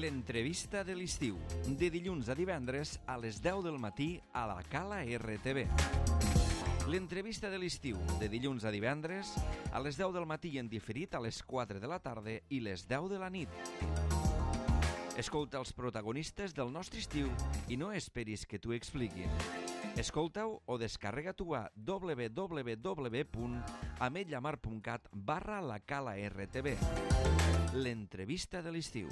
L'entrevista de l'estiu, de dilluns a divendres a les 10 del matí a la Cala RTV. L'entrevista de l'estiu, de dilluns a divendres a les 10 del matí i en diferit a les 4 de la tarda i les 10 de la nit. Escolta els protagonistes del nostre estiu i no esperis que t'ho expliquin. Escolta-ho o descarrega-t'ho a www.ametlllamar.cat/la Cala RTV. L'entrevista de l'estiu.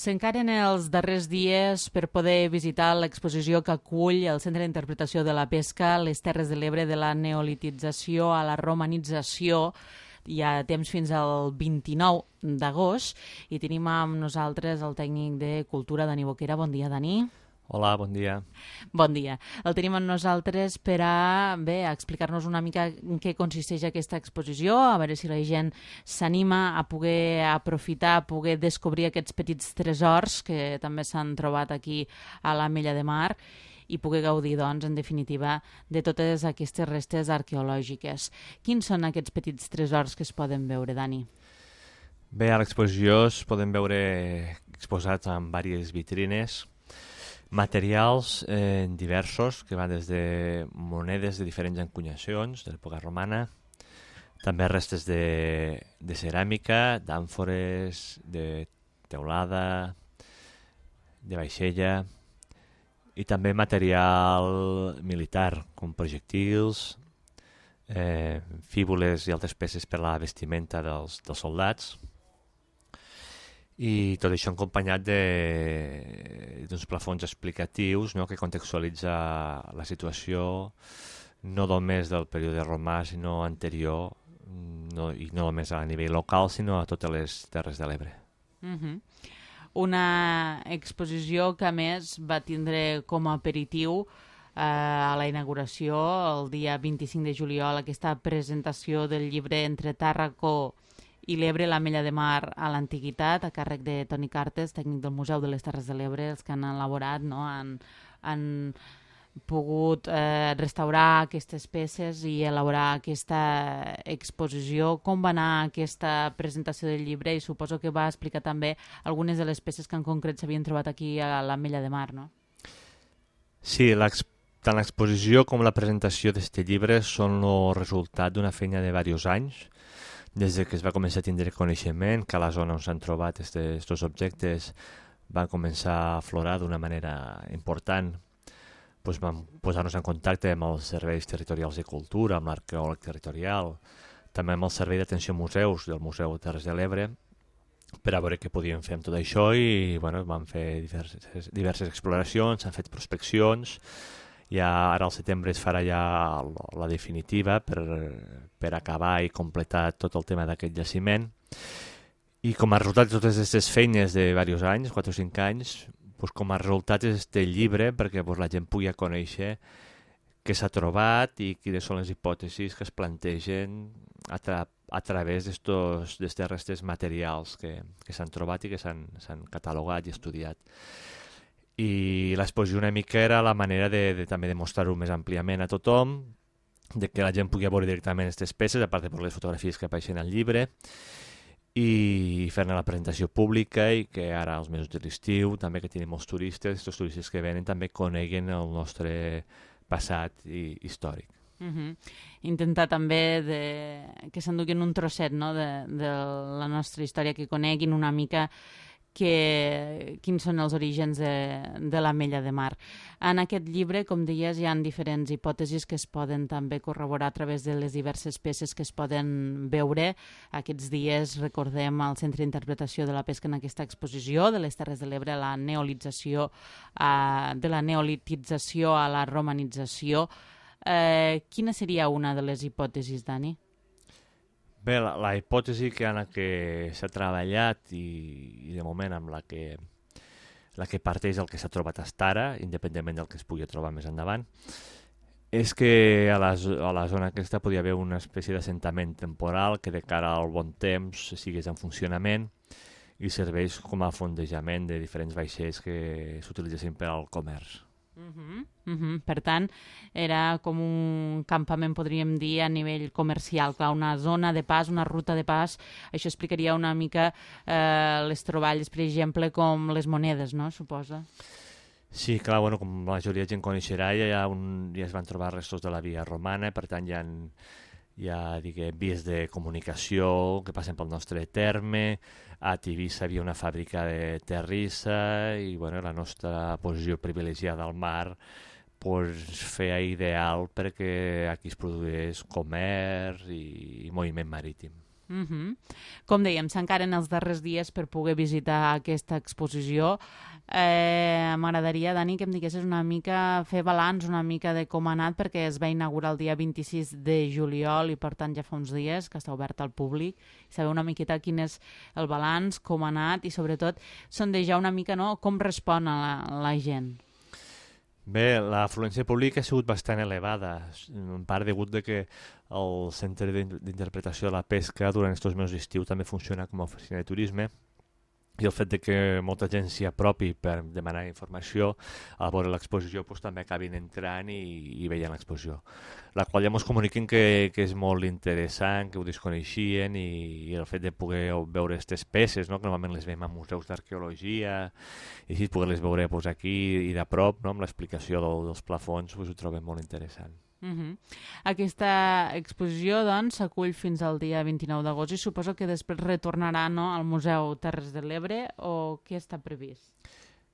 S'encaren els darrers dies per poder visitar l'exposició que acull el Centre d'Interpretació de la Pesca, les Terres de l'Ebre, de la neolitització a la romanització. Hi ha temps fins al 29 d'agost i tenim amb nosaltres el tècnic de Cultura, Dani Boquera. Bon dia, Dani. Hola, bon dia. Bon dia. El tenim amb nosaltres per a explicar-nos una mica en què consisteix aquesta exposició, a veure si la gent s'anima a poder aprofitar, a poder descobrir aquests petits tresors que també s'han trobat aquí a l'Ametlla de Mar i poder gaudir, doncs, en definitiva, de totes aquestes restes arqueològiques. Quins són aquests petits tresors que es poden veure, Dani? Bé, a l'exposició es poden veure exposats en diverses vitrines materials diversos, que van des de monedes de diferents encunyacions de l'època romana, també restes de ceràmica, d'àmfores, de teulada, de vaixella, i també material militar, com projectils, fíbules i altres peces per a la vestimenta dels soldats. I tot això acompanyat d'uns plafons explicatius, no?, que contextualitza la situació no només del període romà, sinó anterior, i no només a nivell local, sinó a totes les Terres de l'Ebre. Una exposició que, a més, va tindre com a aperitiu a la inauguració, el dia 25 de juliol, aquesta presentació del llibre Entre Tàrraco i l'Ebre, l'Ametlla de Mar a l'Antiguitat, a càrrec de Toni Cartes, tècnic del Museu de les Terres de l'Ebre, els que han elaborat, no?, han pogut restaurar aquestes peces i elaborar aquesta exposició. Com va anar aquesta presentació del llibre? I suposo que va explicar també algunes de les peces que en concret s'havien trobat aquí a l'Ametlla de Mar, no? Sí, tant l'exposició com la presentació d'aquest llibre són el resultat d'una feina de diversos anys. Des que es va començar a tindre coneixement que a la zona on s'han trobat aquests objectes van començar a aflorar d'una manera important, doncs vam posar-nos en contacte amb els serveis territorials de cultura, amb l'arqueòleg territorial, també amb el servei d'atenció museus del Museu de Terres de l'Ebre, per a veure què podíem fer amb tot això i vam fer diverses exploracions, s'han fet prospeccions. Ara al setembre es farà ja la definitiva per acabar i completar tot el tema d'aquest jaciment. I com a resultat de totes aquestes feines de diversos anys, 4 o 5 anys, com a resultat és aquest llibre perquè la gent pugui conèixer què s'ha trobat i quines són les hipòtesis que es plantegen a través d'aquestes restes materials que s'han trobat i que s'han catalogat i estudiat. I l'exposició una mica era la manera de també demostrar-ho més àmpliament a tothom, de que la gent pugui veure directament aquestes peces, a part de les fotografies que apareixen al llibre, i fer-ne la presentació pública i que ara, als mesos de l'estiu, també que tenim molts turistes, aquests turistes que venen també coneguen el nostre passat històric. Intentar també que s'enduguin un trosset, no?, de la nostra història, que coneguin una mica quins són els orígens de l'Ametlla de Mar. En aquest llibre, com deies, hi ha diferents hipòtesis que es poden també corroborar a través de les diverses peces que es poden veure. Aquests dies recordem el Centre d'Interpretació de la Pesca en aquesta exposició de les Terres de l'Ebre, de la neolitització a la romanització. Quina seria una de les hipòtesis, Dani? Bé, la hipòtesi que s'ha treballat i de moment amb la que parteix el que s'ha trobat fins ara, independentment del que es pugui trobar més endavant, és que a la zona aquesta podia haver una espècie d'assentament temporal que de cara al bon temps sigués en funcionament i serveix com a fondejament de diferents vaixells que s'utilitzessin per al comerç. Per tant, era com un campament, podríem dir, a nivell comercial, clar, una zona de pas, una ruta de pas. Això explicaria una mica les troballes, per exemple, com les monedes, no?, suposa. Sí, clar, bueno, com la majoria de gent coneixerà, ja es van trobar restos de la via romana, per tant hi ha diguem, vies de comunicació que passen pel nostre terme. A Tivissa havia una fàbrica de terrissa i bueno, la nostra posició privilegiada al mar feia ideal perquè aquí es produís comerç i moviment marítim. Com dèiem, s'encaren els darrers dies per poder visitar aquesta exposició. M'agradaria, Dani, que em diguessis una mica, fer balanç una mica de com ha anat, perquè es va inaugurar el dia 26 de juliol i per tant ja fa uns dies que està obert al públic, i saber una miqueta quin és el balanç, com ha anat i sobretot sondejar una mica, no?, com respon a la gent. Bé, l'afluència pública ha sigut bastant elevada, en part degut de que el Centre d'Interpretació de la Pesca durant aquests mesos d'estiu també funciona com a oficina de turisme, i el fet de que molta gent s'hi apropi per demanar informació a veure l'exposició també acabin entrant i veient l'exposició, la qual ja ens comuniquen que és molt interessant, que ho desconeixien, i el fet de poder veure aquestes peces, no?, que normalment les veiem a museus d'arqueologia i així poder-les veure aquí i de prop, no?, amb l'explicació dels plafons, ho trobem molt interessant. Aquesta exposició, doncs, s'acull fins al dia 29 d'agost i suposo que després retornarà, no?, al Museu Terres de l'Ebre, o què està previst?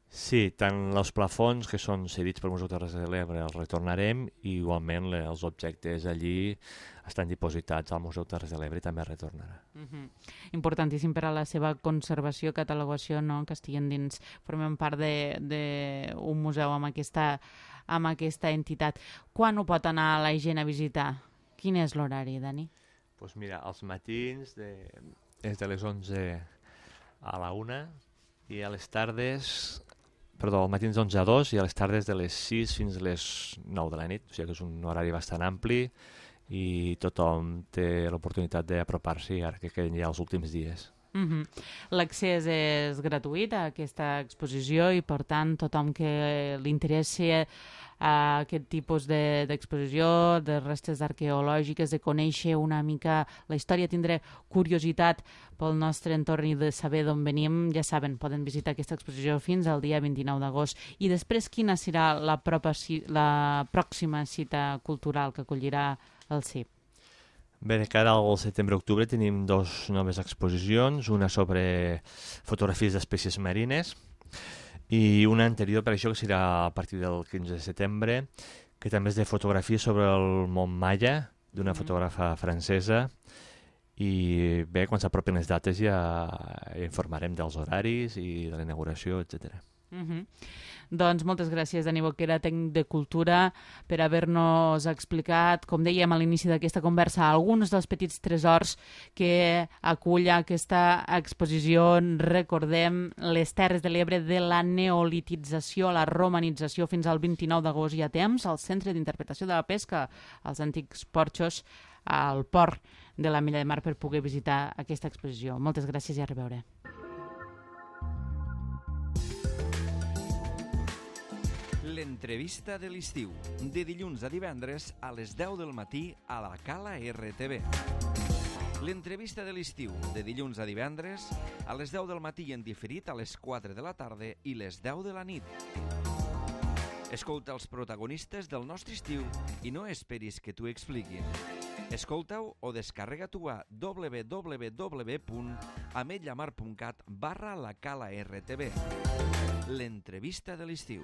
Sí, tant els plafons que són cedits pel Museu Terres de l'Ebre els retornarem, i igualment els objectes allí estan dipositats al Museu Terres de l'Ebre i també retornarà. Importantíssim per a la seva conservació, catalogació, no?, que estiguin dins, formen part d'un museu amb aquesta entitat. Quan ho pot anar la gent a visitar? Quin és l'horari, Dani? Doncs mira, els matins és de les 11 a la 1 i a les tardes, perdó, als matins d'11 a 2 i a les tardes de les 6 fins a les 9 de la nit, o sigui que és un horari bastant ampli i tothom té l'oportunitat d'apropar-s'hi ara que queden ja els últims dies. L'accés és gratuït a aquesta exposició i per tant tothom que li interessi aquest tipus d'exposició, de restes arqueològiques, de conèixer una mica la història, tindré curiositat pel nostre entorn i de saber d'on venim, ja saben, poden visitar aquesta exposició fins al dia 29 d'agost. I després quina serà la pròxima cita cultural que acollirà el CIP? Bé, de cara al setembre-octubre tenim 2 noves exposicions, una sobre fotografies d'espècies marines i una anterior per això que serà a partir del 15 de setembre, que també és de fotografies sobre el món Maia, d'una fotògrafa francesa, i bé, quan s'apropen les dates ja informarem dels horaris i de la inauguració, etc. Doncs moltes gràcies, Dani Boquera, tècnic de Cultura, per haver-nos explicat, com dèiem a l'inici d'aquesta conversa, alguns dels petits tresors que acull aquesta exposició. Recordem, les Terres de l'Ebre, de la neolitització a la romanització fins al 29 d'agost i a temps, al Centre d'Interpretació de la Pesca, als antics porxos, al port de la Milla de Mar, per poder visitar aquesta exposició. Moltes gràcies i a reveure. L'entrevista de l'estiu, de dilluns a divendres a les 10 del matí a la Cala RTV. L'entrevista de l'estiu, de dilluns a divendres a les 10 del matí i en diferit a les 4 de la tarda i les 10 de la nit. Escolta els protagonistes del nostre estiu i no esperis que t'ho expliquin. Escolta-ho o descarrega-t'ho a www.ametlllamar.cat/la Cala RTV. L'entrevista de l'estiu.